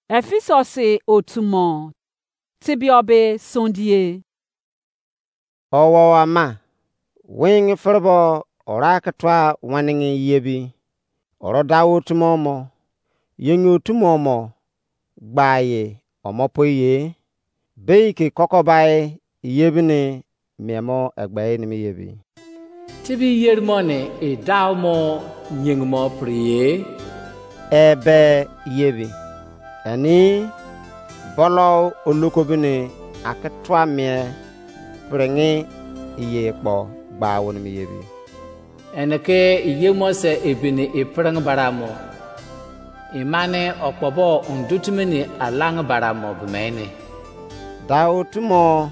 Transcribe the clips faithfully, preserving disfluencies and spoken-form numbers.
Efesus otu mo tebie be sondie. Owo ama, wing ferebo ora ke tua wanigi yebi. Oro da otu mo mo, yenge otu mo mo gba ye omo poi ye. Bei ke kokobai yebi ni mien mo egbe nimi yebi. Tibi yeri mo ni e dau mo nyeng mo pri ye. Ebe yebi. Eni bolo olokobi ni ake tua mien piringi iye kpo gba wonimi yebi. Ene ke iye mo se ebini ipireng bara mo. Imani okpobo undu timi ni alang bara mo bimeni. Da otu mo,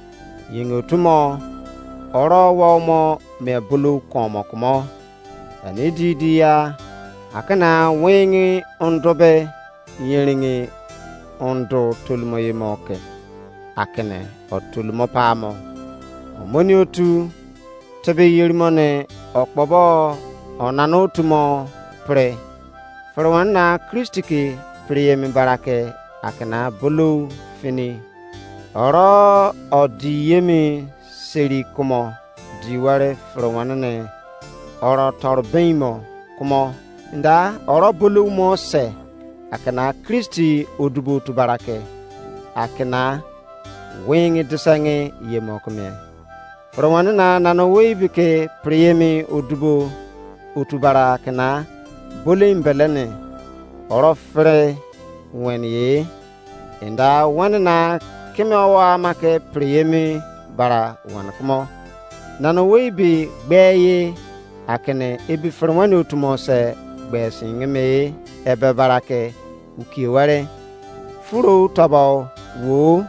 yenge otu mo, oro wo mo me bulu komo kumo. Ani di di ya, akana wingi undu be yeringi undu tolumo ye mo ke. Akene otolumo pa mo. Omoni otu tebe yeri mo ni okpobo onana otu mo pre. Fere wan na Kristi ke pre emi bara ke akena bolou fini. Oro odi yemi seri kumo di ware fere wan ne oro tor ben mo kumo. Nda oro bolou mo se akena Kristi odubo otu bara ke akena wingi disengi ye mo kumie. Fere wan na nana owei be ke pre emi odubo otu bara kena bole mbele ne oro fere wen ye. Enda wen na keme owo ama ke pre emi bara wan kumo. Nana owei be gbe ye akene ebi fere wan otu mo se gbe singe me ebe bara ke ukie were. Furo tobo wo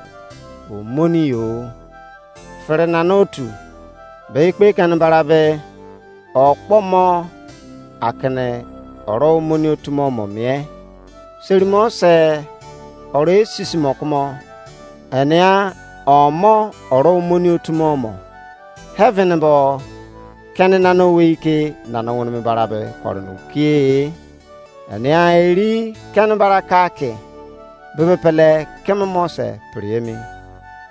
omoni yo. Fere nana otu be ikpe kene bara be okpo mo akene oro omoni otu mo mo mie. Seri mo se oro esisi mo kumo. Enia omo oro omoni otu mo mo. Heaven bo kene nana owei ke nana wonimi bara be koro no kie. Enia eri kene bara ka ke bebe pele keme mo se pre emi.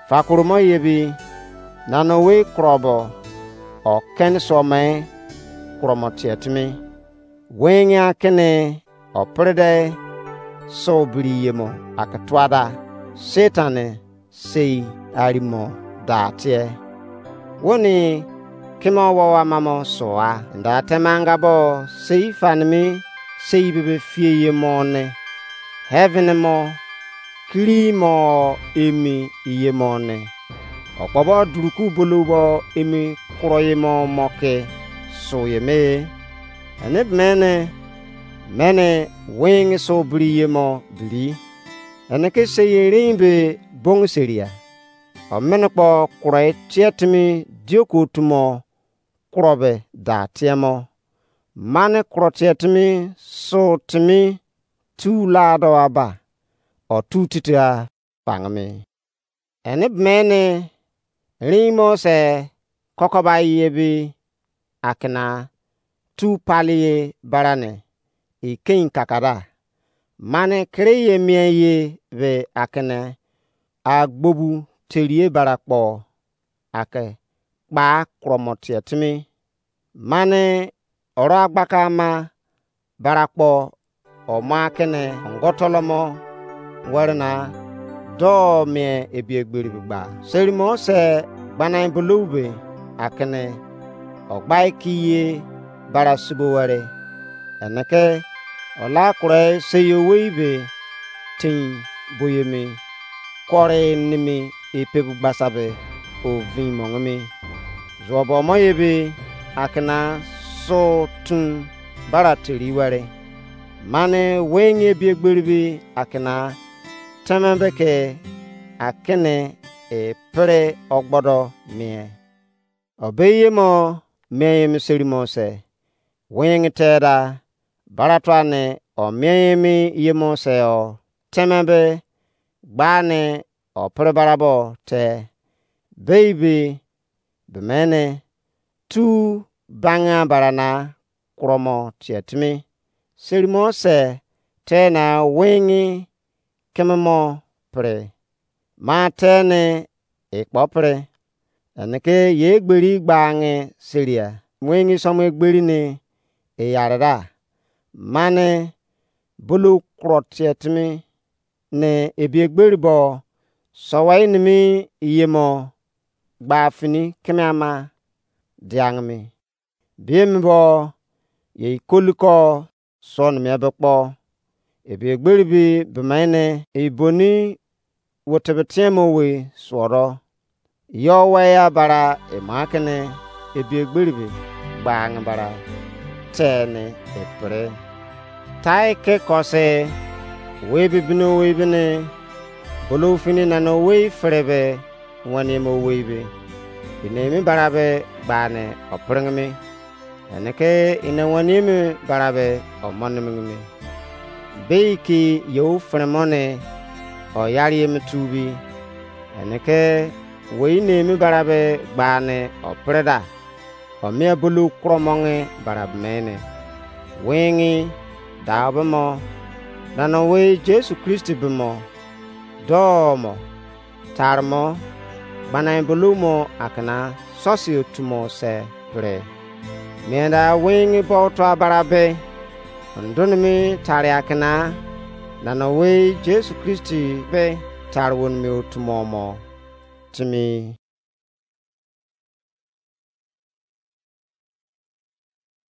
Fakuru mo ye bi nana owei kuro bo o kene so me kuro mo tie timi. Wengi akene o prede so biri ye mo ake tuada Satan sei arimo da tie. Woni keme owo ama mo sua nda temanga bo sei fanimi sei bebe fie ye mo ne. Heaven mo kiri mo emi iye mo ne. Okpobo duruku bolo bo emi kuro ye mo mo ke su ye me. Ene mene mene wing so biri ye mo biri. Ene ke sei erin be bong seria. Omene kpo kuro tie timi dioku otu mo kuro be da tie mo. Mane kuro tie timi su timi tu lado aba. O tu titi a pangmi. Ene mene rin mo se kokoba ye bi akena tu pali ye barane ikein kakada. Mane kere ye mien ye be akene agbobu terie bara kpo ake kpa kromo tie timi. Mane oro agbaka ama bara kpo o ma kene ongo tolomo were na do mie ebie gberi gba. Seri mo se gbana bulou be akene o gbai ki ye bara subo were. Ene ke o la kure sei owei be tin boyemi kore nimi epebu gbasa be o vin mongimi. Zuobo mo ye be akena so tun bara teri were. Mane wenye bie gberi be akena teme be ke akene e pere ogbodo mie. Obeye mo mie ye miseri mo se wing teda bara tua ne o mie ye mi ye mo se o teme be gba ne o pere bara bo te. Bei be be mene tu banga bara na kuro mo tie timi. Seri mo se te na wingi keme mo pre. Ma te ne e kpo pre. Ene ke ye egberi gba nge seria. Wengi somo egberi ne e yare da. Mane bulu kuro tie timi ne ebi egberi bo sowai nimi iye mo gba fini keme ama diang mi. Biem bo ye ikoli ko son mi ebe kpo. Ebi egberi bi bemene iboni wotebe tiemo we suoro. Yo waya bara ema kene ebi egberi bi gbang bara tene epre. Tai ke kose we bi bino we bini bulu fini nano we frebe wani mo we bi. Inemi bara be gbane opring mi. Ene ke ina wani mi bara be omonim mi. Bei ki yo fremo ne o yari mi tubi. Ene ke wei ne mi bara be gbane o preda. O mia bulu kromonge bara mene. Wingi da be mo. Dano wei Jesu Kristi be mo. Do mo. Tarmo, gbanai bulu mo akena sosi otumo se pre. Mienda wingi bo to abara be. Ndunimi tari akena nana wei Jesu Kristi be tari wonimi otumo mo timi.